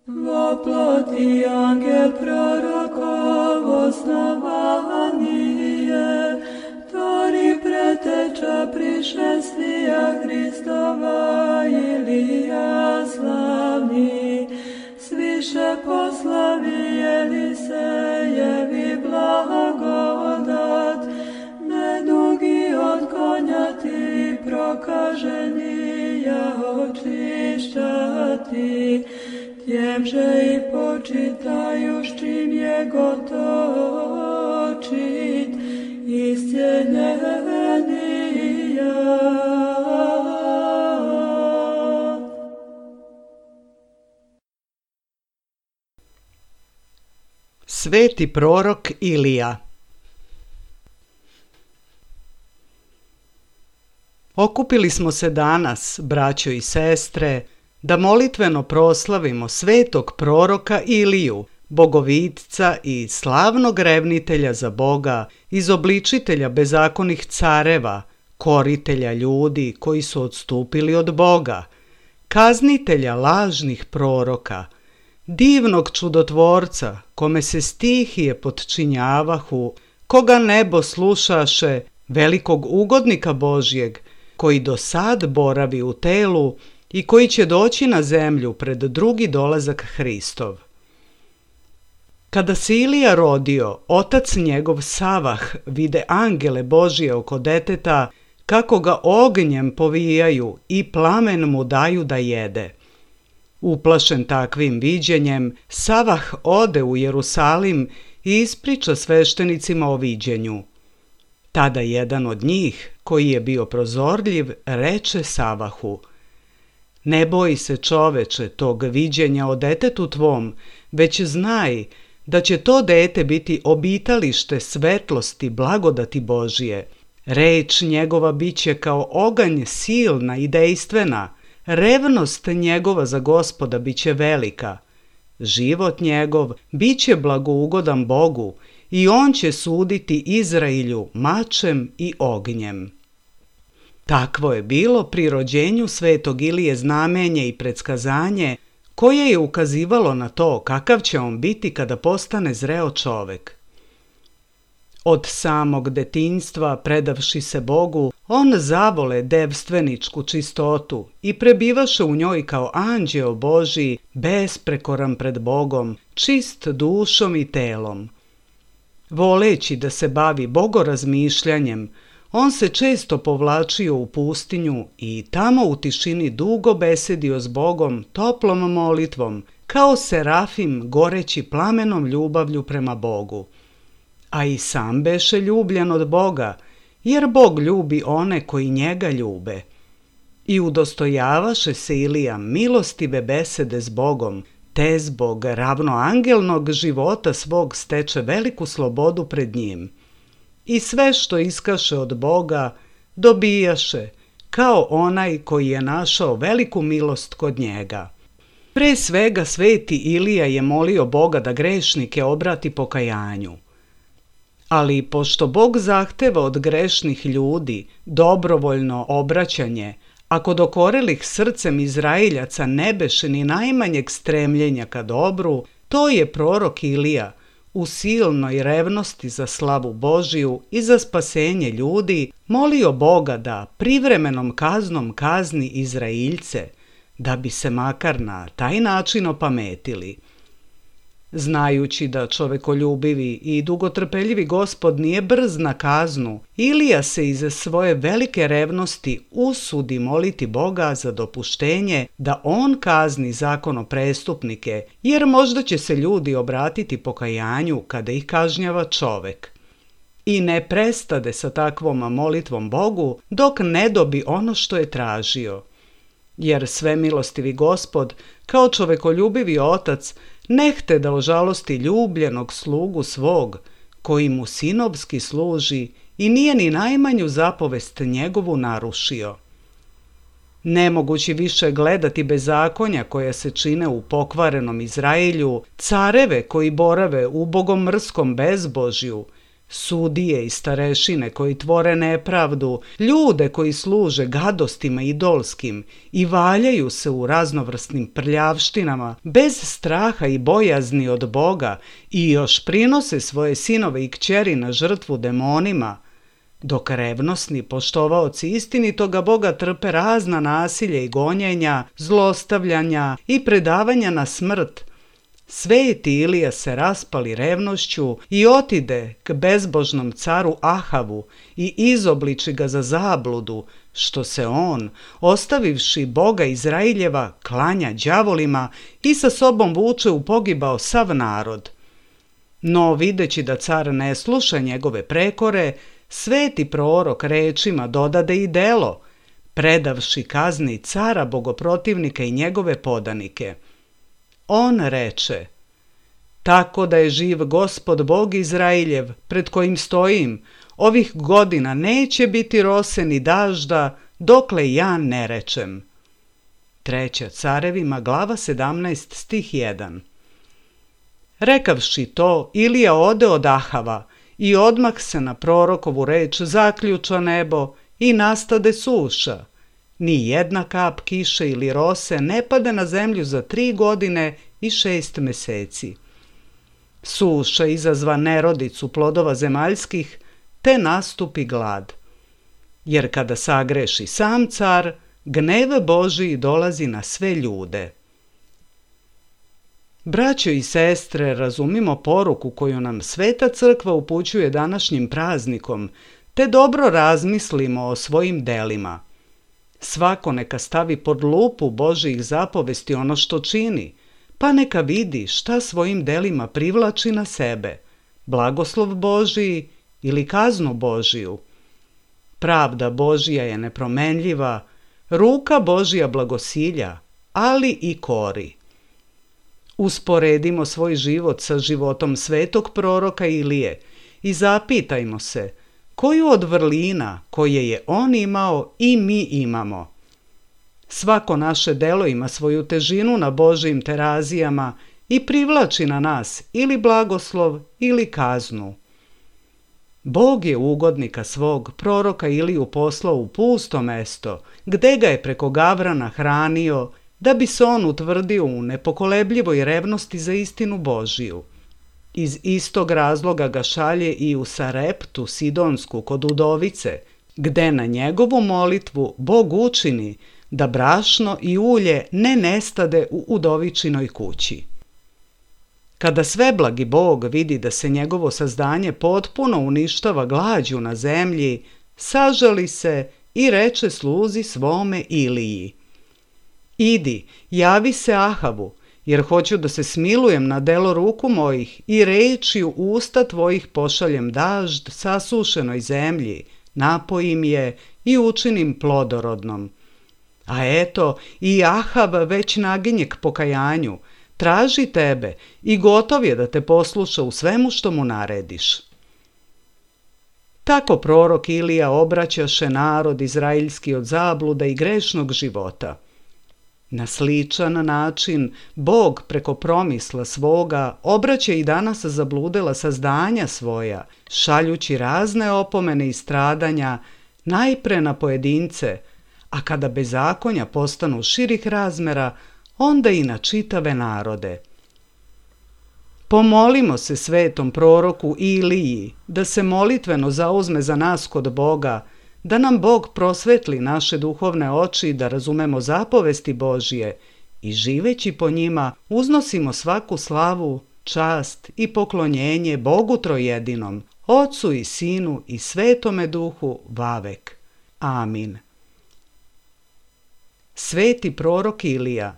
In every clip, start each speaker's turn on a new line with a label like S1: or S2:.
S1: Воплоти ангел пророков основание, Тори preteča prišествия Христова Илия славни, свише послави Елисеjevi blagodat, nedugi od konja ti prokaženi ja očišćati, tjemže i počitaju s čim je gotočit, iscijeljenija.
S2: Sveti prorok Ilija. Okupili smo se danas, braćo i sestre, da molitveno proslavimo svetog proroka Iliju, bogovitca i slavnog revnitelja za Boga, izobličitelja bezakonih careva, koritelja ljudi koji su odstupili od Boga, kaznitelja lažnih proroka, divnog čudotvorca, kome se stihije potčinjavahu, koga nebo slušaše, velikog ugodnika Božjeg, koji do sad boravi u telu i koji će doći na zemlju pred drugi dolazak Hristov. Kada se Ilija rodio, otac njegov Savah vide angele Božje oko deteta, kako ga ognjem povijaju i plamen mu daju da jede. Uplašen takvim viđenjem, Savah ode u Jerusalim i ispriča sveštenicima o viđenju. Tada jedan od njih, koji je bio prozorljiv, reče Savahu: Ne boj se, čoveče, tog viđenja o detetu tvom, već znaj da će to dete biti obitalište svetlosti blagodati Božije. Reč njegova biće kao oganj silna i dejstvena, revnost njegova za Gospoda biće velika. Život njegov biće blagougodan Bogu i on će suditi Izrailju mačem i ognjem. Takvo je bilo pri rođenju svetog Ilije znamenje i predskazanje koje je ukazivalo na to kakav će on biti kada postane zreo čovek. Od samog detinjstva, predavši se Bogu, on zavole devstveničku čistotu i prebivaše u njoj kao anđeo Božji, besprekoran pred Bogom, čist dušom i telom. Voleći da se bavi bogorazmišljanjem, on se često povlačio u pustinju i tamo u tišini dugo besedio s Bogom toplom molitvom, kao serafim goreći plamenom ljubavlju prema Bogu. A i sam beše ljubljen od Boga, jer Bog ljubi one koji njega ljube. I udostojavaše se Ilija milostive besede s Bogom, te zbog ravnoangelnog života svog steče veliku slobodu pred njim. I sve što iskaše od Boga dobijaše, kao onaj koji je našao veliku milost kod njega. Pre svega sveti Ilija je molio Boga da grešnike obrati pokajanju. Ali pošto Bog zahteva od grešnih ljudi dobrovoljno obraćanje, a kod okorelih srcem Izraeljaca ne beše ni najmanjeg stremljenja ka dobru, to je prorok Ilija u silnoj revnosti za slavu Božiju i za spasenje ljudi molio Boga da privremenom kaznom kazni Izraeljce, da bi se makar na taj način opametili. Znajući da čovekoljubivi i dugotrpeljivi Gospod nije brz na kaznu, Ilija se iz svoje velike revnosti usudi moliti Boga za dopuštenje da on kazni zakonoprestupnike, jer možda će se ljudi obratiti pokajanju kada ih kažnjava čovek. I ne prestade sa takvom molitvom Bogu dok ne dobi ono što je tražio. Jer svemilostivi Gospod, kao čovekoljubivi otac, nehte da ožalosti ljubljenog slugu svog, koji mu sinovski služi i nije ni najmanju zapovest njegovu narušio. Nemogući više gledati bezakonja koja se čine u pokvarenom Izraelju, careve koji borave u bogomrskom bezbožju, Sudije i starešine koji tvore nepravdu, ljude koji služe gadostima idolskim i valjaju se u raznovrsnim prljavštinama, bez straha i bojazni od Boga i još prinose svoje sinove i kćeri na žrtvu demonima, dok revnosni poštovaoci istinitoga Boga trpe razna nasilja i gonjenja, zlostavljanja i predavanja na smrt, sveti Ilija se raspali revnošću i otide k bezbožnom caru Ahavu i izobliči ga za zabludu, što se on, ostavivši Boga Izraeljeva, klanja đavolima i sa sobom vuče u pogibao sav narod. No, videći da car ne sluša njegove prekore, sveti prorok rečima dodade i delo, predavši kazni cara bogoprotivnika i njegove podanike. On reče: tako da je živ Gospod Bog Izraeljev, pred kojim stojim, ovih godina neće biti rose ni dažda, dokle ja ne rečem. 3. Carevima, glava 17, stih 1. Rekavši to, Ilija ode od Ahava i odmah se na prorokovu reč zaključa nebo i nastade suša. Ni jedna kap kiše ili rose ne pade na zemlju za 3 godine i 6 meseci. Suša izazva nerodicu plodova zemaljskih, te nastupi glad. Jer kada sagreši sam car, gnev Božiji dolazi na sve ljude. Braćo i sestre, razumimo poruku koju nam Sveta Crkva upućuje današnjim praznikom, te dobro razmislimo o svojim delima. Svako neka stavi pod lupu Božjih zapovesti ono što čini, pa neka vidi šta svojim delima privlači na sebe, blagoslov Božiji ili kaznu Božiju. Pravda Božja je nepromenljiva, ruka Božja blagosilja, ali i kori. Usporedimo svoj život sa životom svetog proroka Ilije i zapitajmo se koju od vrlina koje je on imao i mi imamo. Svako naše delo ima svoju težinu na Božjim terazijama i privlači na nas ili blagoslov ili kaznu. Bog je ugodnika svog proroka Iliju poslao u pusto mesto, gde ga je preko Gavrana hranio, da bi se on utvrdio u nepokolebljivoj revnosti za istinu Božiju. Iz istog razloga ga šalje i u Sareptu Sidonsku kod udovice, gde na njegovu molitvu Bog učini da brašno i ulje ne nestade u udovičinoj kući. Kada sveblagi Bog vidi da se njegovo sazdanje potpuno uništava glađu na zemlji, sažali se i reče sluzi svome Iliji: idi, javi se Ahavu, jer hoću da se smilujem na delo ruku mojih i rečju usta tvojih pošaljem dažd sasušenoj zemlji, napojim je i učinim plodorodnom. A eto, i Ahav već naginje k pokajanju, traži tebe i gotov je da te posluša u svemu što mu narediš. Tako prorok Ilija obraćaše narod izraeljski od zabluda i grešnog života. Na sličan način Bog preko promisla svoga obraća i danas zabludela sazdanja svoja, šaljući razne opomene i stradanja najpre na pojedince, a kada bezakonja postanu širih razmera, onda i na čitave narode. Pomolimo se svetom proroku Iliji da se molitveno zauzme za nas kod Boga, da nam Bog prosvetli naše duhovne oči da razumemo zapovesti Božje i živeći po njima uznosimo svaku slavu, čast i poklonjenje Bogu trojedinom, Otcu i Sinu i Svetome Duhu vavek. Amin. Sveti prorok Ilija,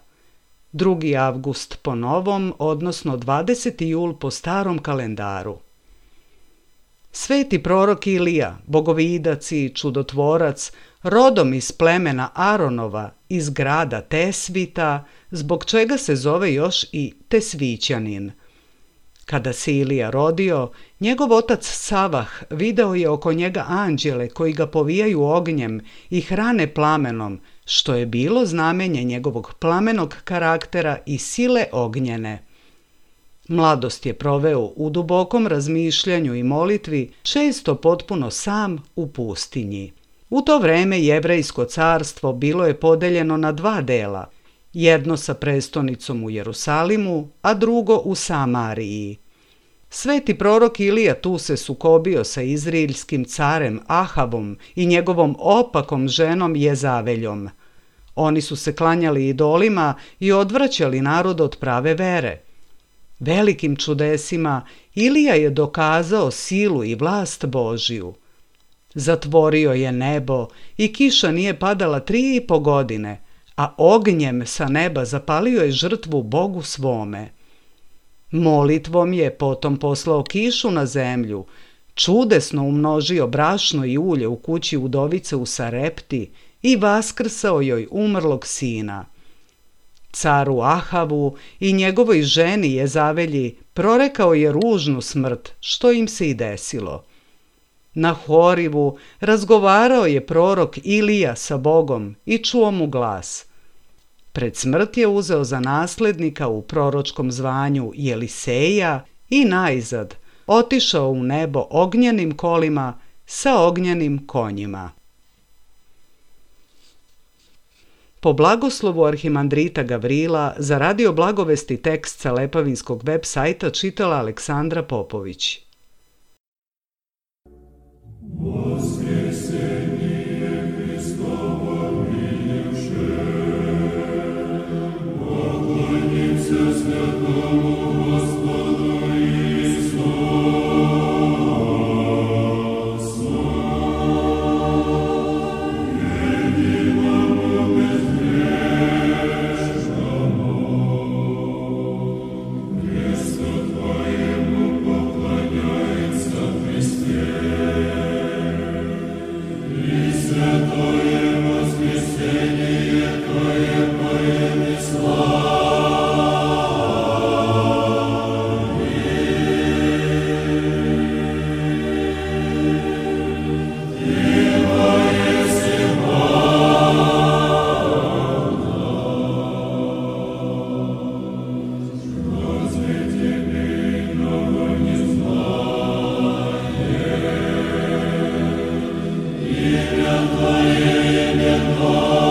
S2: 2. avgust po novom, odnosno 20. jul po starom kalendaru. Sveti prorok Ilija, bogovidac i čudotvorac, rodom iz plemena Aronova, iz grada Tesvita, zbog čega se zove još i Tesvićanin. Kada se Ilija rodio, njegov otac Savah video je oko njega anđele koji ga povijaju ognjem i hrane plamenom, što je bilo znamenje njegovog plamenog karaktera i sile ognjene. Mladost je proveo u dubokom razmišljanju i molitvi, često potpuno sam u pustinji. U to vreme Jevrejsko carstvo bilo je podeljeno na dva dela, jedno sa prestonicom u Jerusalimu, a drugo u Samariji. Sveti prorok Ilija tu se sukobio sa izraelskim carem Ahavom i njegovom opakom ženom Jezaveljom. Oni su se klanjali idolima i odvraćali narod od prave vere. Velikim čudesima Ilija je dokazao silu i vlast Božiju. Zatvorio je nebo i kiša nije padala 3,5 godine, a ognjem sa neba zapalio je žrtvu Bogu svome. Molitvom je potom poslao kišu na zemlju, čudesno umnožio brašno i ulje u kući udovice u Sarepti i vaskrsao joj umrlog sina. Caru Ahavu i njegovoj ženi Jezavelji prorekao je ružnu smrt, što im se i desilo. Na Horivu razgovarao je prorok Ilija sa Bogom i čuo mu glas. Pred smrt je uzeo za naslednika u proročkom zvanju Jeliseja i najzad otišao u nebo ognjenim kolima sa ognjenim konjima. Po blagoslovu arhimandrita Gavrila za Radio Blagovesti tekst sa Lepavinskog web sajta čitala Aleksandra Popović.
S3: Amen.